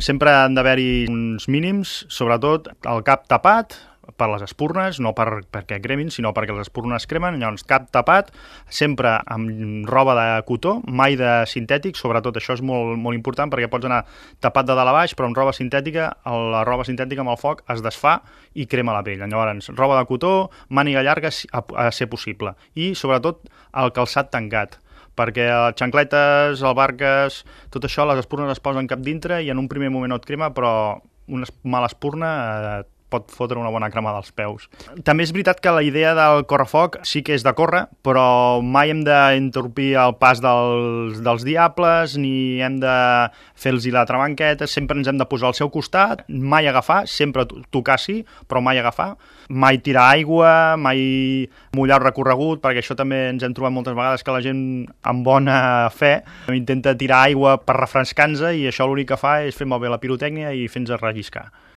Sempre han d'haver-hi uns mínims, sobretot el cap tapat per les espurnes, no perquè cremin, sinó perquè les espurnes cremen. Llavors, cap tapat, sempre amb roba de cotó, mai de sintètic, sobretot això és molt, molt important perquè pots anar tapat de dalt a baix, però amb roba sintètica, la roba sintètica amb el foc es desfà i crema la pell. Llavors, roba de cotó, màniga llarga a ser possible. I, sobretot, el calçat tancat, perquè les xancletes, albarques, tot això, les espurnes es posen cap dintre i en un primer moment no et crema, però una mala espurna pot fotre una bona cremada als peus. També és veritat que la idea del correfoc sí que és de córrer, però mai hem d'interrompir el pas dels diables, ni hem de fer-los la trabanqueta, sempre ens hem de posar al seu costat, mai agafar, sempre tocar sí, però mai agafar, mai tirar aigua, mai mullar el recorregut, perquè això també ens hem trobat moltes vegades que la gent amb bona fe intenta tirar aigua per refrescar-nos i això l'únic que fa és fer malbé la pirotècnia i fer-nos relliscar.